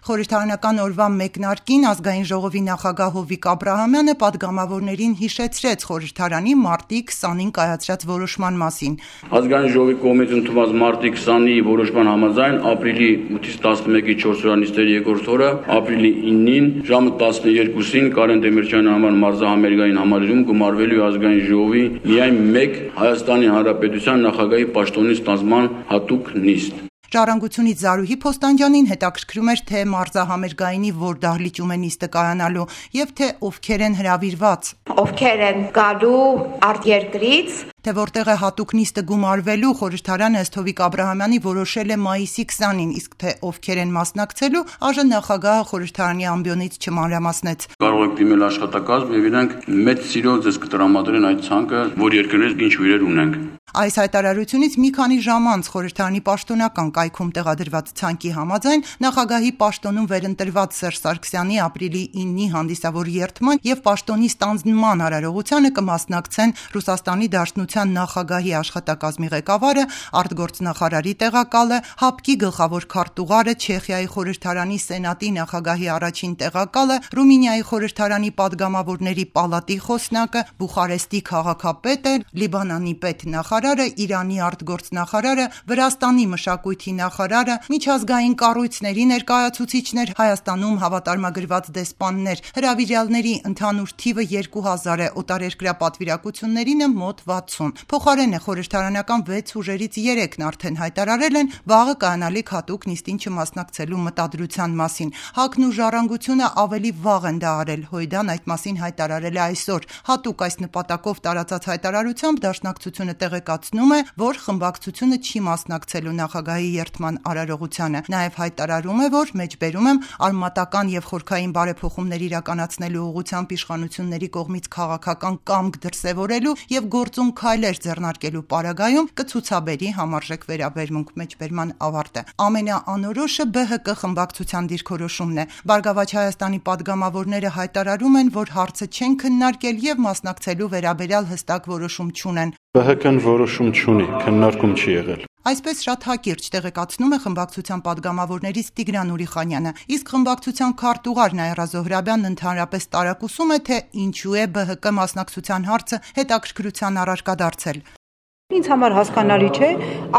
Խորհրդարանական օրվա մեկնարկին ազգային ժողովի նախագահ Հովիկ Աբրահամյանը պատգամավորներին հիշեցրեց խորհրդարանի մարտի 20-ին կայացրած որոշման մասին։ Ազգային ժողովի կողմից ընդունված մարտի 20-ի որոշման համաձայն ապրիլի 8-ից 11-ի 4 օրանիստերի երկրորդ օրը ապրիլի 9-ին ժամը 12-ին Կարեն Դեմիրճյանի անվան մարզահամերգային համալիրում գումարվելու ազգային ժողովի միայն մեկ Հայաստանի Հանրապետության նախագահի պաշտոնի ստանձնման հատուկ նիստ։ Ժառանգությունից Զարուհի Փոստանջյանին հետաքրքրում էր, թե մարզահամերգայինի որ դահլիճում է նիստը կայանալու եւ թե ովքեր են հրավիրված։ Ովքեր են գալու արտերկրից, թե որտեղ է հատուկ նիստը գումարվելու, խորհրդարանը ըստ Հովիկ Աբրահամյանի որոշել է մայիսի 20-ին, իսկ թե ովքեր են մասնակցելու, այժմ նախագահը խորհրդարանի ամբիոնից չմանրամասնեց։ Կարող եք դիմել աշխատակազմ եւ իրենք մեծ սիրով ձեզ կտրամադրեն այդ ցանկը, որ երկրներից ինչ հյուրեր ունենք։ Այս հայտարարությունից մի քանի ժամ անց խորհրդարանի պաշտոնական կայքում տեղադրված ցանկի համաձայն նախագահի պաշտոնում վերընտրված Սերժ Սարգսյանի ապրիլի 9-ի հանդիսավոր երթման եւ պաշտոնի ստանձնման արարողությանը կմասնակցեն Ռուսաստանի Դաշնության նախագահի աշխատակազմի ղեկավարը, արտգործնախարարի տեղակալը, ՀԱՊԿ-ի գլխավոր քարտուղարը, Չեխիայի խորհրդարանի Սենատի նախագահի առաջին տեղակալը, Ռումինիայի խորհրդարանի падգամավորների պալատի խոսնակը, Բուխարեստի քաղաքապետը, Լիբանանի պետնախարարը, Իրանի արտգործնախարարը, Վրաստանի մշակույթի նախարարը, միջազգային կառույցների ներկայացուցիչներ, Հայաստանում հավատարմագրված դեսպաններ, հրավիրյալների ընդհանուր թիվը 2000 է, օտարերկրյա պատվիրակություններինը մոտ 60։ Փոխարենը խորհրդարանական 6 ուժերից 3-ն արդեն հայտարարել են վաղը կայանալիք հատուկ նիստին չմասնակցելու մտադրության մասին։ ՀԱԿ-ն ու Ժառանգությունը ավելի վաղ են դա արել, Հույդան այդ մասին հայտարարել է այսօր։ Հատուկ այս նպատակով տարածած հայտարարությամբ Դաշնակցությունը տեղեկացնում է, որ խմբակցությունը չի մասնակցելու նախագահի երթման արարողությանը։ Նաև հայտարարում է, որ մեջբերում եմ արմատական եւ խորքային բարեփոխումներ իրականացնելու ուղղությամբ իշխանությունների կողմից քաղաքական կամք դրսևորելու եւ գործուն քայլեր ձեռնարկելու պարագայում կցուցաբերի համարժեք վերաբերմունք։ Մեջբերման ավարտ է։ Ամենաանորոշը ԲՀԿ խմբակցության դիրքորոշումն է։ Բարգավաճ Հայաստանի падգամավորները հայտարարում են, որ հարցը չեն քննարկել եւ մասնակցելու վերաբերյալ հստակ որոշում չունեն։ ԲՀԿ-ն որոշում չունի, քննարկում չի եղել։ Այսպես շատ հակիրճ տեղեկացնում է խմբակցության падգամավորներից Տիգրան Ուրիխանյանը, իսկ խմբակցության քարտուղար Նաիրա Զոհրաբյանն ընդհանրապես տարակուսում է, թե ինչու է ԲՀԿ մասնակցության հարցը հետաքրքրության առարկա դարձել։ Ինձ համար հասկանալի չէ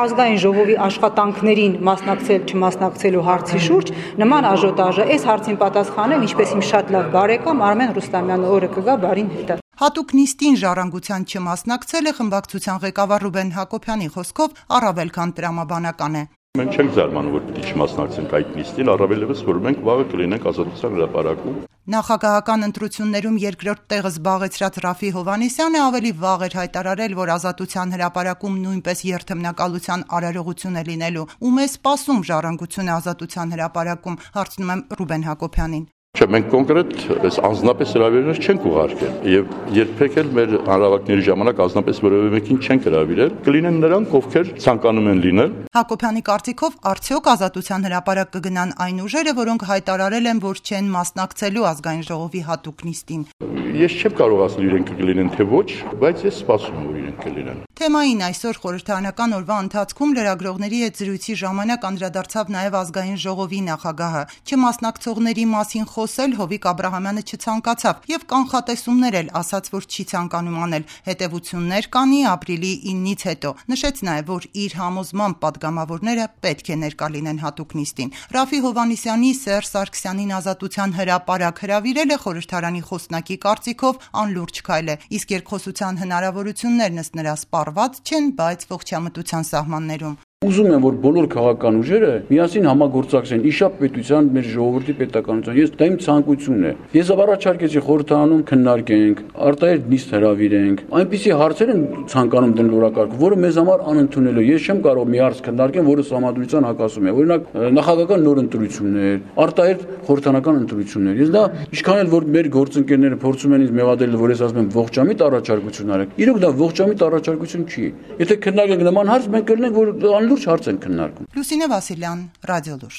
ազգային ժողովի աշխատանքներին մասնակցել չմասնակցելու հարցի շուրջ նման աժոտաժը, այս հարցին պատասխանեմ, ինչպես իմ շատ լավ բարեկամ Արմեն Ռուստամյանը օրը կգա բարին հետը։ Հատուկ նիստին ժառանգության չմասնակցելը խմբակցության ղեկավար Ռուբեն Հակոբյանի խոսքով առավել քան տրամաբանական է։ Մենք չենք զարմանում, որ պիտի չմասնակցենք այդ նիստին, առավելևս որ մենք վաղը կլինենք Ազատության հրապարակում։ Նախագահական ընտրություններում երկրորդ տեղը զբաղեցրած Ռաֆի Հովհաննիսյանը ավելի վաղ էր հայտարարել, որ Ազատության հրապարակում նույնպես երթմնակալության արարողություն է լինելու։ Ում է սպասում ժառանգությունը Ազատության հրապարակում, հարցնում եմ Ռուբեն Հակոբյանին։ Չէ, մենք կոնկրետ այս անձնապես հրավերներ չենք ուղարկել եւ երբեք էլ մեր հանրավակների ժամանակ անձնապես որևէ մեկին չենք հրավիրել, կլինեն նրանք, ովքեր ցանկանում են լինել։ Հակոբյանի կարծիքով արդյոք Ազատության հրապարակ կգնան այն ուժերը, որոնք հայտարարել են, որ չեն մասնակցելու ազգային ժողովի հատուկ նիստին։ Ես չեմ կարող ասել իրենք կլինեն թե ոչ, բայց ես սպասում եմ, որ իրենք կլինեն։ Թեմային այսօր խորհրդարանական օրվա ընթացքում լրագրողների հետ զրույցի ժամանակ անդրադարձավ նաև ազգային ժողովի նախագահը։ Չմասնակցողների մասին խոսել Հովիկ Աբրահամյանը չցանկացավ եւ կանխատեսումներ էլ ասաց, որ չի ցանկանում անել։ Հետևություններ կանի ապրիլի 9-ից հետո։ Նշեց նաև, որ իր համոզմամբ падգամավորները պետք է ներկա լինեն հատուկ նիստին։ Ռաֆի Հովհաննիսյանի Սերժ Սարգսյանին Ազատության հրապարակ հրավիրել է խորհրդարանի խոսնակի կարծիքով անլուրջ քայլ է, իսկ երկխոսության հնարավորություններն ըստ նրա սպառված չեն, բայց ողջամտության սահմաններում։ Ուզում եմ, որ բոլոր քաղաքական ուժերը միասին համագործակցեն իշապ պետության, մեր ժողովրդի պետականության։ Ես դա իմ ցանկությունն է։ Ես առաջարկեցի խորհրդարանում քննարկենք, արտահերթ նիստ հրավիրենք։ Այնպիսի հարցեր են ցանկանում դնել օրակարգ, որը մեզ համար անընդունել է։ Ես չեմ կարող մի հարց քննարկեմ, որը համադրության հակասում է։ Օրինակ, նախագահական նոր ընտրություններ, արտահերթ խորհրդարանական ընտրություններ։ Ես դա ինչքան էլ որ մեր գործընկերները փորձում են ինձ մեղադրել, որ ես ասում եմ ողջամիտ առաջարկություն արեք։ Իրոք դա ողջամիտ առաջարկություն չի։ Եթե քննարկենք նման հարց, մենք կլինենք, որ լուրջ հարց են քննարկում։ Լուսինե Վասիլյան, Ռադիոլուր։